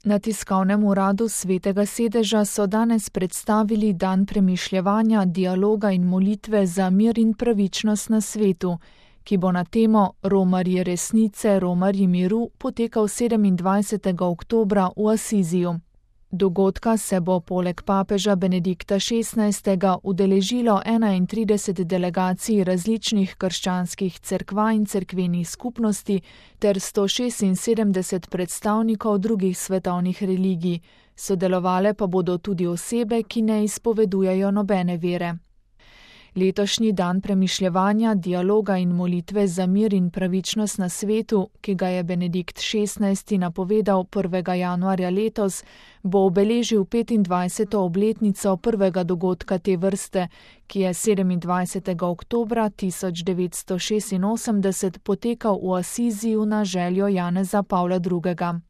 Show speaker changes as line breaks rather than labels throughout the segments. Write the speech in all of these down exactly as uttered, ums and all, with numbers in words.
Na tiskovnem uradu Svetega sedeža so danes predstavili dan premišljevanja, dialoga in molitve za mir in pravičnost na svetu, ki bo na temo Romarji resnice, Romarji miru potekal sedemindvajsetega oktobra v Asiziju. Dogodka se bo poleg papeža Benedikta šestnajstega udeležilo enaintrideset delegacij različnih krščanskih cerkva in cerkvenih skupnosti ter sto šestinsedemdeset predstavnikov drugih svetovnih religij, sodelovale pa bodo tudi osebe, ki ne izpovedujejo nobene vere. Letošnji dan premišljevanja, dialoga in molitve za mir in pravičnost na svetu, ki ga je Benedikt šestnajsti napovedal prvega januarja letos, bo obeležil petindvajseto obletnico prvega dogodka te vrste, ki je sedemindvajsetega oktobra tisoč devetsto šestinosemdeset potekal v Asiziju na željo Janeza Pavla drugega.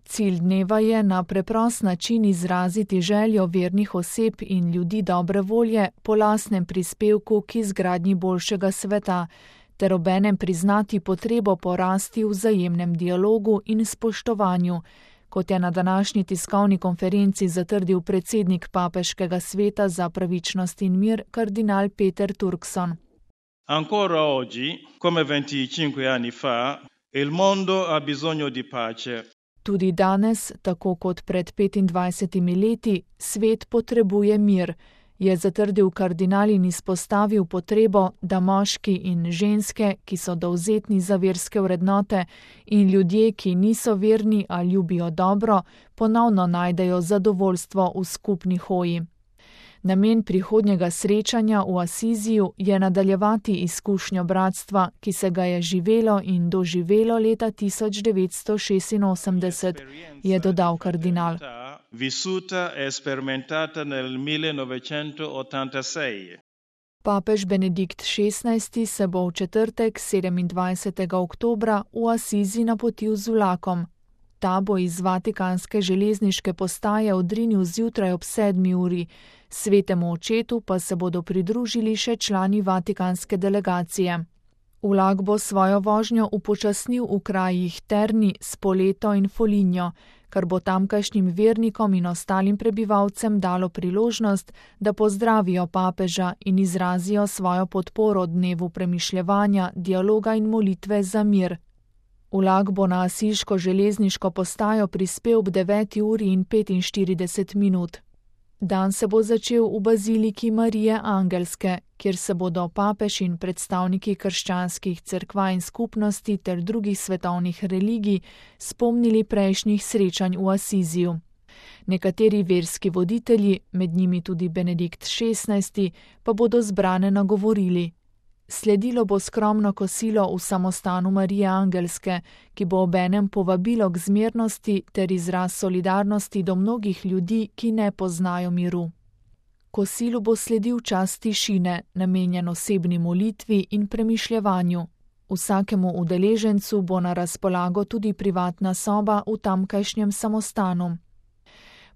Cilj dneva je na preprost način izraziti željo vernih oseb in ljudi dobre volje po lastnem prispevku k izgradnji boljšega sveta, ter obenem priznati potrebo po rasti v vzajemnem dialogu in spoštovanju, kot je na današnji tiskovni konferenci zatrdil predsednik Papeškega sveta za pravičnost in mir kardinal Peter Turkson.
Ancora oggi, come venticinque anni fa, il mondo ha bisogno di pace.
Tudi danes, tako kot pred petindvajsetimi leti, svet potrebuje mir, je zatrdil kardinal in izpostavil potrebo, da moški in ženske, ki so dovzetni za verske vrednote, in ljudje, ki niso verni a ljubijo dobro, ponovno najdejo zadovoljstvo v skupni hoji. Namen prihodnjega srečanja v Asiziju je nadaljevati izkušnjo bratstva, ki se ga je živelo in doživelo leta tisoč devetsto šestinosemdeset, je dodal kardinal. Papež Benedikt šestnajsti se bo v četrtek sedemindvajsetega oktobra v Asizi napotil z vlakom. Ta bo iz vatikanske železniške postaje odrinil zjutraj ob sedmi uri, Svetemu očetu pa se bodo pridružili še člani vatikanske delegacije. Vlak bo svojo vožnjo upočasnil v krajih Terni, Spoleto in Foligno, kar bo tamkajšnjim vernikom in ostalim prebivalcem dalo priložnost, da pozdravijo papeža in izrazijo svojo podporo dnevu premišljevanja, dialoga in molitve za mir. Vlak bo na asiško železniško postajo prispel ob deveti uri in petinštirideset minut. Dan se bo začel v baziliki Marije Angelske, kjer se bodo papež in predstavniki krščanskih cerkva in skupnosti ter drugih svetovnih religij spomnili prejšnjih srečanj v Asiziju. Nekateri verski voditelji, med njimi tudi Benedikt šestnajsti, pa bodo zbrane nagovorili. Sledilo bo skromno kosilo v samostanu Marije Angelske, ki bo obenem povabilo k zmernosti ter izraz solidarnosti do mnogih ljudi, ki ne poznajo miru. Kosilu bo sledil čas tišine, namenjen osebni molitvi in premišljevanju. Vsakemu udeležencu bo na razpolago tudi privatna soba v tamkajšnjem samostanu.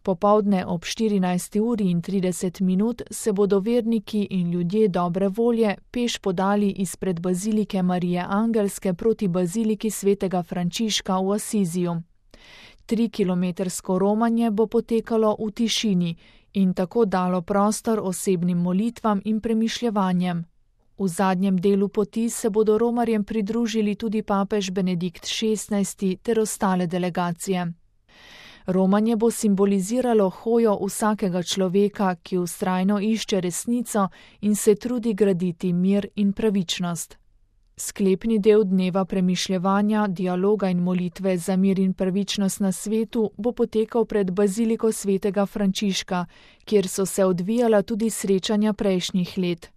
Popoldne ob štirinajsti uri in trideset minut se bodo verniki in ljudje dobre volje peš podali izpred bazilike Marije Angelske proti baziliki svetega Frančiška v Asiziju. Trikilometrsko romanje bo potekalo v tišini in tako dalo prostor osebnim molitvam in premišljevanjem. V zadnjem delu poti se bodo romarjem pridružili tudi papež Benedikt šestnajsti ter ostale delegacije. Romanje bo simboliziralo hojo vsakega človeka, ki vztrajno išče resnico in se trudi graditi mir in pravičnost. Sklepni del dneva premišljevanja, dialoga in molitve za mir in pravičnost na svetu bo potekal pred baziliko svetega Frančiška, kjer so se odvijala tudi srečanja prejšnjih let.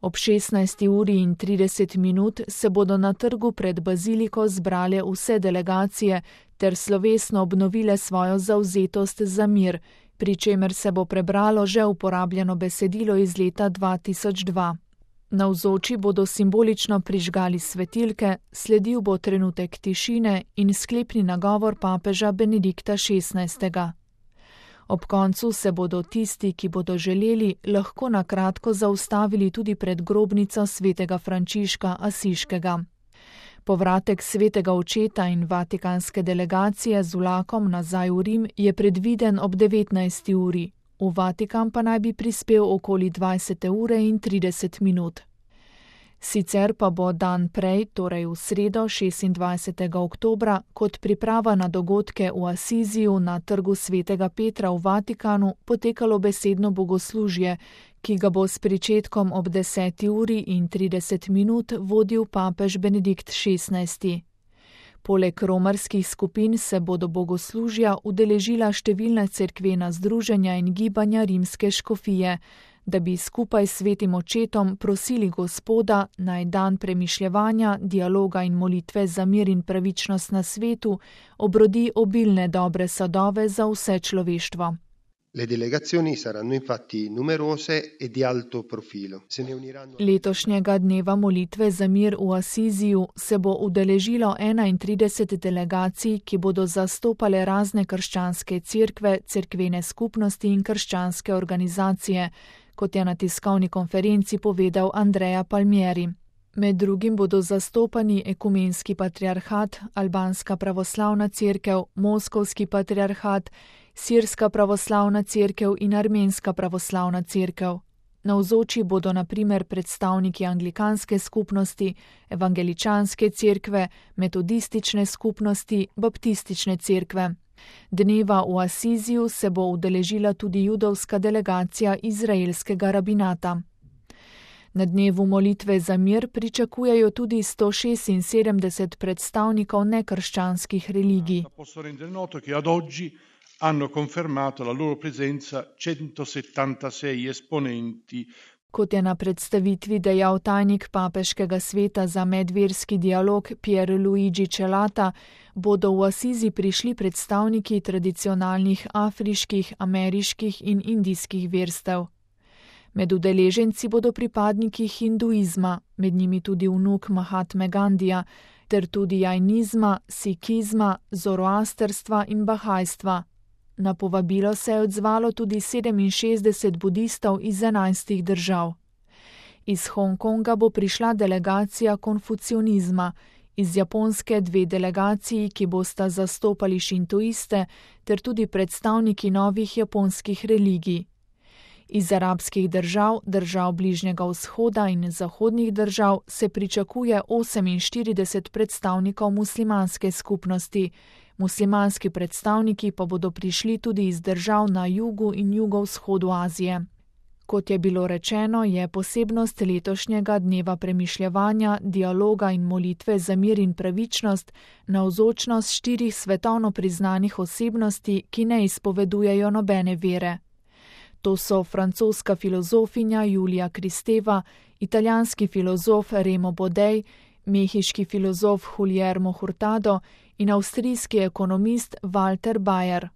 Ob šestnajsti uri in trideset minut se bodo na trgu pred baziliko zbrale vse delegacije ter slovesno obnovile svojo zavzetost za mir, pri čemer se bo prebralo že uporabljeno besedilo iz leta dva tisoč dva. Navzoči bodo simbolično prižgali svetilke, sledil bo trenutek tišine in sklepni nagovor papeža Benedikta šestnajstega. Ob koncu se bodo tisti, ki bodo želeli, lahko na kratko zaustavili tudi pred grobnico svetega Frančiška Asiškega. Povratek svetega očeta in vatikanske delegacije z vlakom nazaj v Rim je predviden ob devetnajsti uri. V Vatikan pa naj bi prispel okoli dvajsete ure in trideset minut. Sicer pa bo dan prej, torej v sredo šestindvajsetega oktobra, kot priprava na dogodke v Asiziju na trgu svetega Petra v Vatikanu potekalo besedno bogoslužje, ki ga bo s pričetkom ob deseti uri in trideset minut vodil papež Benedikt šestnajsti. Poleg romarskih skupin se bodo bogoslužja udeležila številna cerkvena združenja in gibanja rimske škofije, da bi skupaj s svetim očetom prosili Gospoda, naj dan premišljevanja, dialoga in molitve za mir in pravičnost na svetu obrodi obilne dobre sadove za vse človeštvo.
Le delegazioni saranno infatti numerose e di alto profilo. Se ne uniranno...
Letošnjega dneva molitve za mir v Asiziju se bo udeležilo enaintrideset delegacij, ki bodo zastopale razne krščanske cerkve, cerkvene skupnosti in krščanske organizacije, kot je na tiskovni konferenci povedal Andrea Palmieri. Med drugim bodo zastopani ekumenski patriarhat, albanska pravoslavna cerkev, moskovski patriarhat, sirska pravoslavna cerkev in armenska pravoslavna cerkev. Navzoči bodo na primer predstavniki anglikanske skupnosti, evangeličanske cerkve, metodistične skupnosti, baptistične cerkve. Dneva v Asiziju se bo udeležila tudi judovska delegacija izraelskega rabinata. Na dnevu molitve za mir pričakujejo tudi sto šestinsedemdeset predstavnikov nekrščanskih religij.
Hanno confermato la loro presenza centosettantasei esponenti.
Kot je na predstavitvi dejal tajnik papeškega sveta za medverski dialog Pierluigi Celata, bodo v Asizi prišli predstavniki tradicionalnih afriških, ameriških in indijskih verstev. Med udeleženci bodo pripadniki hinduizma, med njimi tudi vnuk Mahatme Gandija, ter tudi jainizma, sikizma, zoroasterstva in bahajstva. Na povabilo se je odzvalo tudi sedeminšestdeset budistov iz enajstih držav. Iz Hongkonga bo prišla delegacija konfucionizma, iz Japonske dve delegaciji, ki bosta zastopali šintoiste, ter tudi predstavniki novih japonskih religij. Iz arabskih držav, držav Bližnjega vzhoda in zahodnih držav se pričakuje oseminštirideset predstavnikov muslimanske skupnosti. Muslimanski predstavniki pa bodo prišli tudi iz držav na jugu in jugovzhodu Azije. Kot je bilo rečeno, je posebnost letošnjega dneva premišljevanja, dialoga in molitve za mir in pravičnost navzočnost štirih svetovno priznanih osebnosti, ki ne izpovedujejo nobene vere. To so francoska filozofinja Julija Kristeva, italijanski filozof Remo Bodej, mehiški filozof Guillermo Hurtado in avstrijski ekonomist Walter Bayer.